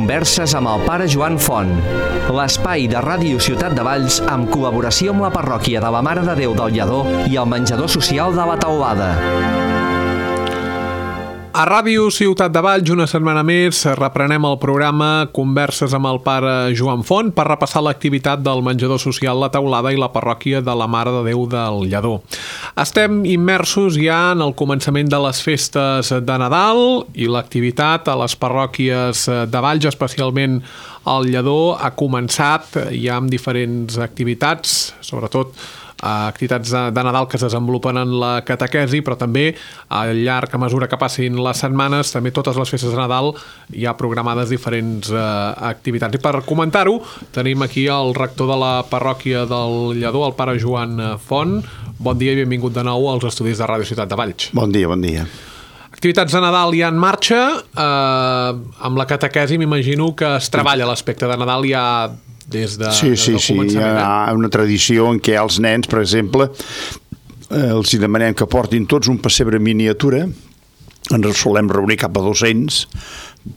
Converses amb el pare Joan Font, l'espai de Ràdio Ciutat de Valls amb col·laboració amb la parròquia de la Mare de Déu del Lledó i el menjador social de la Teulada. A Ràdio Ciutat de Valls, una setmana més, reprenem el programa Converses amb el pare Joan Font per repassar l'activitat del menjador social La Teulada i la parròquia de la Mare de Déu del Lledó. Estem immersos ja en el començament de les festes de Nadal i l'activitat a les parròquies de Valls, especialment al Lledó, ha començat ja amb diferents activitats, sobretot activitats de Nadal que es desenvolupen en la catequesi, però també al llarg, a mesura que passin les setmanes, també totes les festes de Nadal hi ha programades diferents activitats. I per comentar-ho, tenim aquí el rector de la parròquia del Lledó, el pare Joan Font. Bon dia i benvingut de nou als estudis de Ràdio Ciutat de Valls. Bon dia, bon dia. Activitats de Nadal ja en marxa. Amb la catequesi m'imagino que es treballa l'aspecte de Nadal ja des de sí, començament. Hi ha una tradició en què els nens, per exemple, els hi demanem que portin tots un pessebre miniatura. Ens solem reunir cap a 200,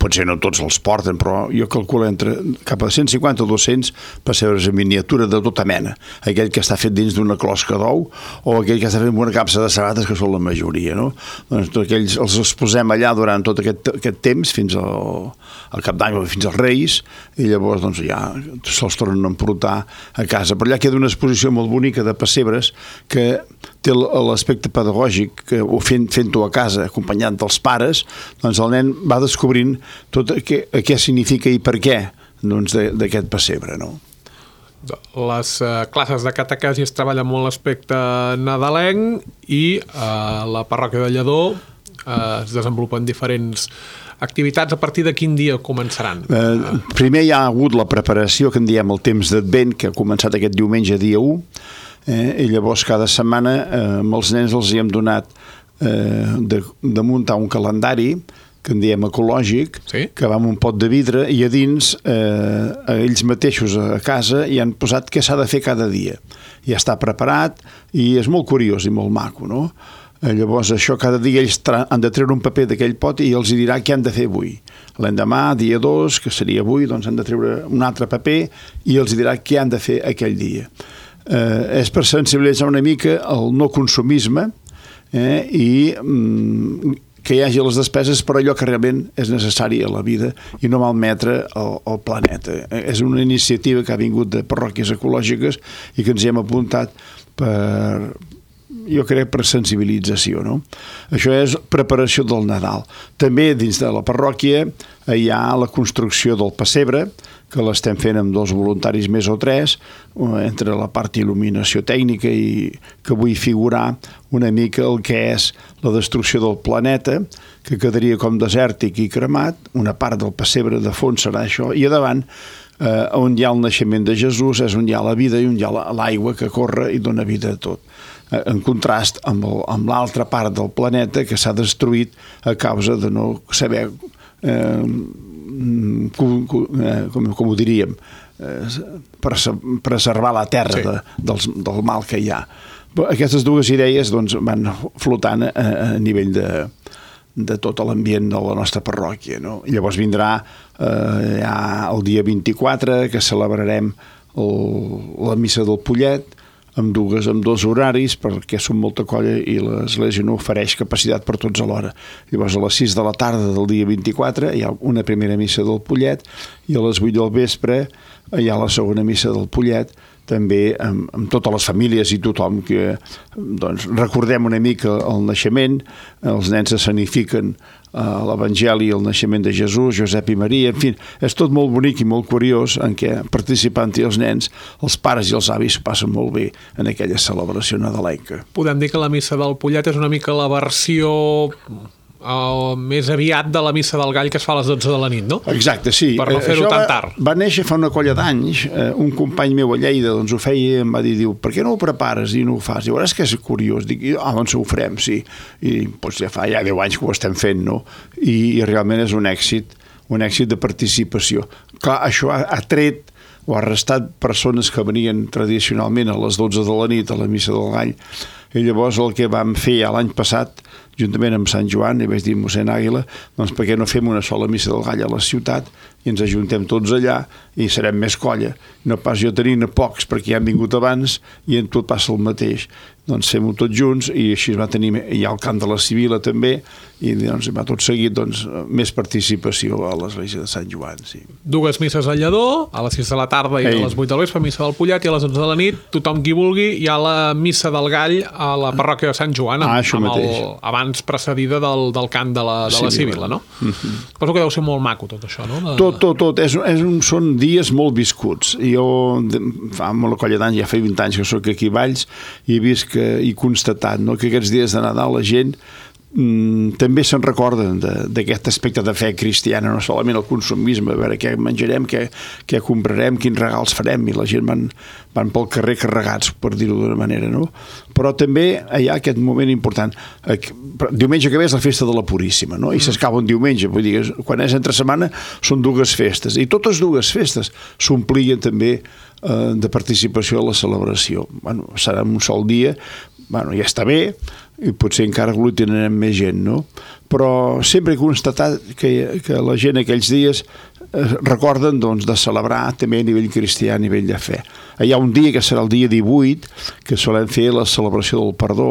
potser no tots els porten, però jo calculo entre cap a 150 o 200 pessebres en miniatura de tota mena. Aquell que està fet dins d'una closca d'ou o aquell que està fet amb una capsa de sabates, que són la majoria, no? Doncs tots aquells els exposem allà durant tot aquest temps, fins al Cap d'Any o fins als Reis, i llavors doncs, ja se'ls tornen a emportar a casa. Però allà queda una exposició molt bonica de pessebres que té l'aspecte pedagògic, que fent-ho a casa, acompanyat dels pares, doncs el nen va descobrint tot què significa i per què d'aquest pessebre, no? Les classes de catequesi es treballa molt l'aspecte nadalenc i la parròquia de Lledó es desenvolupen diferents activitats. A partir de quin dia començaran? Primer hi ha hagut la preparació que en diem el temps d'Advent, que ha començat aquest diumenge, dia 1, i llavors cada setmana amb els nens els hi hem donat de muntar un calendari que en diem ecològic, sí? Que va amb un pot de vidre i a dins ells mateixos a casa hi han posat què s'ha de fer cada dia. Ja està preparat i és molt curiós i molt maco, no? Llavors això cada dia ells han de treure un paper d'aquell pot i els dirà què han de fer avui. L'endemà, dia 2, que seria avui, doncs han de treure un altre paper i els dirà què han de fer aquell dia. És per sensibilitzar una mica el no consumisme i que hi hagi les despeses per allò que realment és necessari a la vida i no malmetre el planeta. És una iniciativa que ha vingut de parròquies ecològiques i que ens hi hem apuntat jo crec per sensibilització, no? Això és preparació del Nadal. També dins de la parròquia hi ha la construcció del pessebre, que l'estem fent amb 2 voluntaris més o 3, entre la part il·luminació tècnica i que vull figurar una mica el que és la destrucció del planeta, que quedaria com desèrtic i cremat. Una part del pessebre de fons serà això, i a davant, on hi ha el naixement de Jesús, és on hi ha la vida i on hi ha l'aigua que corre i dona vida a tot. En contrast amb l'altra part del planeta que s'ha destruït a causa de no saber com ho diríem, preservar la terra del mal que hi ha. Aquestes dues idees doncs, van flotant a nivell de tot l'ambient de la nostra parròquia, no? Llavors vindrà ja el dia 24, que celebrarem la missa del Pollet, amb 2 horaris, perquè som molta colla i l'Església no ofereix capacitat per tots alhora. Llavors a les 6 de la tarda del dia 24 hi ha una primera missa del Pollet i a les 8 del vespre hi ha la segona missa del Pollet, també amb totes les famílies i tothom que doncs, recordem una mica el naixement, els nens escenifiquen l'Evangeli, el naixement de Jesús, Josep i Maria, en fi, és tot molt bonic i molt curiós en què participant-hi els nens, els pares i els avis passen molt bé en aquella celebració nadalenca. Podem dir que la missa del Pollet és una mica la versió més aviat de la missa del Gall que es fa a les 12 de la nit, no? Exacte, sí. Per no fer-ho tan tard. Va néixer fa una colla d'anys, un company meu a Lleida doncs ho feia i em va dir, per què no ho prepares i no ho fas? Diu, és que és curiós. Dic, doncs ho farem, sí. I doncs ja fa 10 anys que ho estem fent, no? I realment és un èxit de participació. Clar, això ha tret o ha restat persones que venien tradicionalment a les 12 de la nit a la missa del Gall. I llavors el que vam fer ja l'any passat juntament amb Sant Joan, i vaig dir a mossèn Àguila, doncs per què no fem una sola missa del gall a la ciutat i ens ajuntem tots allà i serem més colla. No pas jo tenint pocs perquè ja han vingut abans i en tot passa el mateix. Doncs fem-ho tots junts i així es va tenir, hi ha el cant de la Sibila també, i doncs va tot seguit doncs, més participació a l'església de Sant Joan. Sí. 2 misses al Lledó, a les 6 de la tarda i a les 8 del vespre, missa del Pollet, i a les 11 de la nit, tothom qui vulgui, hi ha la missa del gall a la parròquia de Sant Joan, abans precedida del cant de la Sibila, no? Penso que deu ser molt maco tot això, no? Tot. Són dies molt viscuts. Jo, fa molt colla d'anys, ja fa 20 anys que soc aquí a Valls, i he vist i constatat que aquests dies de Nadal la gent també se'n recorden d'aquest aspecte de fe cristiana, no solament el consumisme, a veure què menjarem, què comprarem, quins regals farem, i la gent van pel carrer carregats, per dir-ho d'una manera, no? Però també hi ha aquest moment important. Diumenge que ve és la festa de la Puríssima, no? I s'escau un diumenge, vull dir, quan és entre setmana són 2 festes, i totes 2 festes s'omplien també de participació a la celebració. Serà un sol dia, ja està bé, i potser encara aglutinarem més gent, no? Però sempre he constatat que la gent aquells dies recorden de celebrar també a nivell cristià, a nivell de fe. Hi ha un dia que serà el dia 18, que solem fer la celebració del perdó,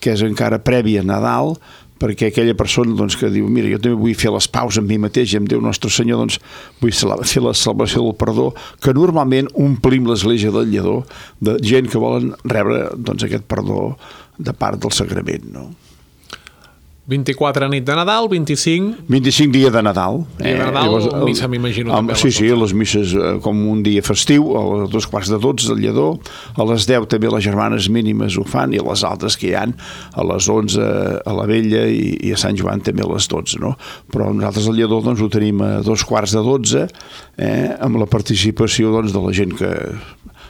que és encara prèvia a Nadal, perquè aquella persona que diu, mira, jo també vull fer les paus amb mi mateix i amb Déu Nostre Senyor, vull fer la celebració del perdó, que normalment omplim l'església del Lledó de gent que volen rebre aquest perdó de part del sagrament, no? 24 nit de Nadal, 25 dia de Nadal. Dia de Nadal, missa m'imagino també. Sí, les misses com un dia festiu, a les 2:45 del Lledó, a les 10 també les germanes mínimes ho fan, i a les altres que hi ha, a les 11 a la Vella i a Sant Joan també a les 12, no? Però nosaltres al Lledó ho tenim a 2:45, amb la participació de la gent que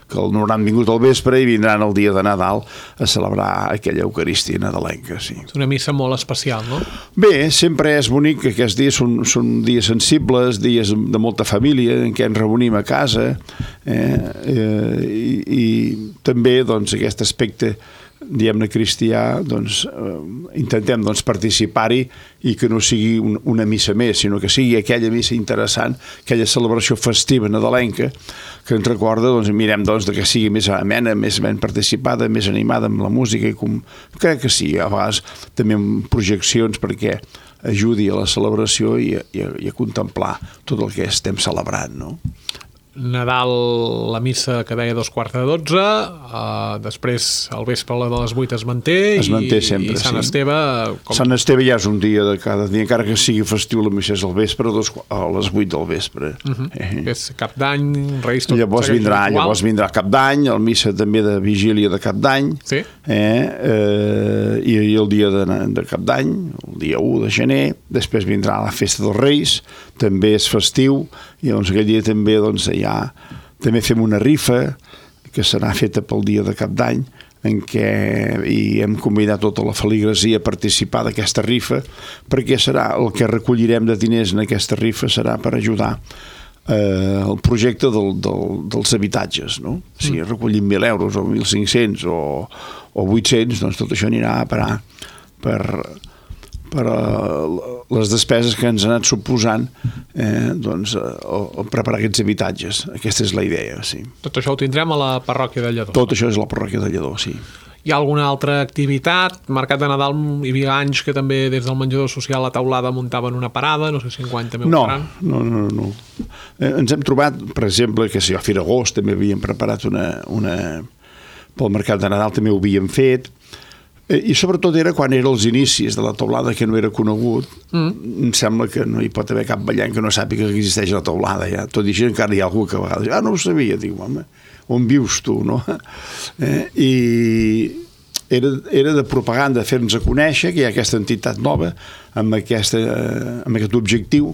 no hauran vingut al vespre i vindran el dia de Nadal a celebrar aquella Eucaristia nadalenca, sí. És una missa molt especial, no? Bé, sempre és bonic que aquests dies són dies sensibles, dies de molta família, en què ens reunim a casa, i també aquest aspecte diguem-ne cristià, intentem participar-hi i que no sigui una missa més, sinó que sigui aquella missa interessant, aquella celebració festiva nadalenca que ens recorda, mirem que sigui més amena, més ben participada, més animada amb la música, i crec que sí, a vegades també amb projeccions perquè ajudi a la celebració i a contemplar tot el que estem celebrant, no? Nadal, la missa que deia 2:45, després al vespre la de les 8 es manté sempre, i Sant Esteve... Sant Esteve ja és un dia de cada dia, encara que sigui festiu, la missa és al vespre, a les 8 del vespre. És Cap d'Any, Reis, tot llavors vindrà Cap d'Any, el missa també de vigília de Cap d'Any, sí? I el dia de Cap d'Any, el dia 1 de gener, després vindrà la festa dels Reis, també és festiu, i aquell dia també també fem una rifa que serà feta pel dia de Cap d'Any, en què hem convidat tota la feligresia a participar d'aquesta rifa, perquè serà el que recollirem de diners en aquesta rifa serà per ajudar el projecte dels habitatges, no? Si recollim 1.000 euros o 1.500 o 800, doncs tot això anirà a parar per les despeses que ens han anat suposant preparar aquests habitatges. Aquesta és la idea, sí. Tot això ho tindrem a la parròquia de Lledó. Tot això és la parròquia de Lledó, sí. Hi ha alguna altra activitat? Mercat de Nadal hi havia anys que també des del menjador social a Taulada muntaven una parada, no sé si enguany també ho faran. No. Ens hem trobat, per exemple, que a Firagost també havíem preparat pel Mercat de Nadal també ho havíem fet, i sobretot era quan eren els inicis de la Taulada, que no era conegut. Em sembla que no hi pot haver cap ballant que no sàpiga que existeix la Taulada, ja. Tot i així encara hi ha algú que a vegades no ho sabia, diu, home, on vius tu, no? I era de propaganda, fer-nos a conèixer que hi ha aquesta entitat nova amb aquest objectiu,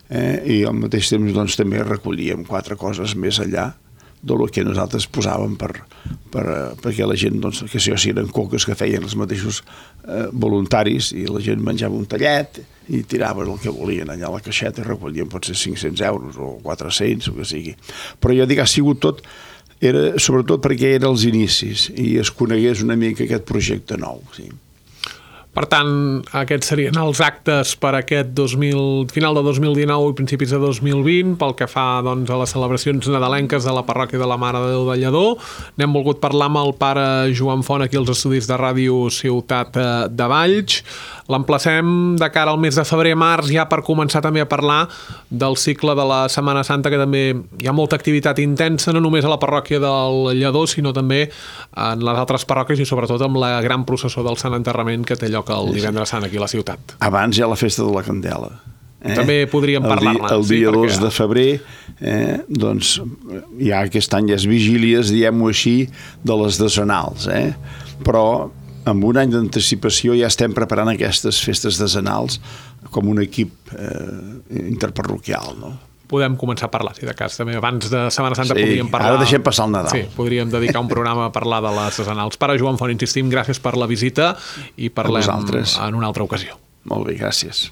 i al mateix temps també recollíem 4 coses més allà del que nosaltres posàvem perquè la gent, que si eren coques que feien els mateixos voluntaris, i la gent menjava un tallet i tiraven el que volien allà a la caixeta i recollien potser 500 euros o 400 o que sigui. Però jo dic, ha sigut tot, sobretot perquè eren els inicis i es conegués una mica aquest projecte nou, sí. Per tant, aquests serien els actes per aquest final de 2019 i principis de 2020, pel que fa doncs, a les celebracions nadalenques de la parròquia de la Mare de Déu del Lledó. N'hem volgut parlar amb el pare Joan Font aquí als estudis de Ràdio Ciutat de Valls. L'emplacem de cara al mes de febrer-març ja per començar també a parlar del cicle de la Setmana Santa, que també hi ha molta activitat intensa, no només a la parròquia del Lledó, sinó també en les altres parròquies i sobretot amb la gran processó del Sant Enterrament que té lloc el divendres sant aquí a la ciutat. Abans hi ha la festa de la Candela. També podríem parlar-ne. El dia 2 de febrer, doncs, ja aquest any és vigílies, diguem-ho així, de les decenals. Però amb un any d'anticipació ja estem preparant aquestes festes decenals com un equip interparroquial, no? Podem començar a parlar, si de cas. També abans de Setmana Santa podríem parlar... Ara deixem passar el Nadal. Sí, podríem dedicar un programa a parlar de les decenals. Pare Joan Font, insistim, gràcies per la visita i parlem en una altra ocasió. Molt bé, gràcies.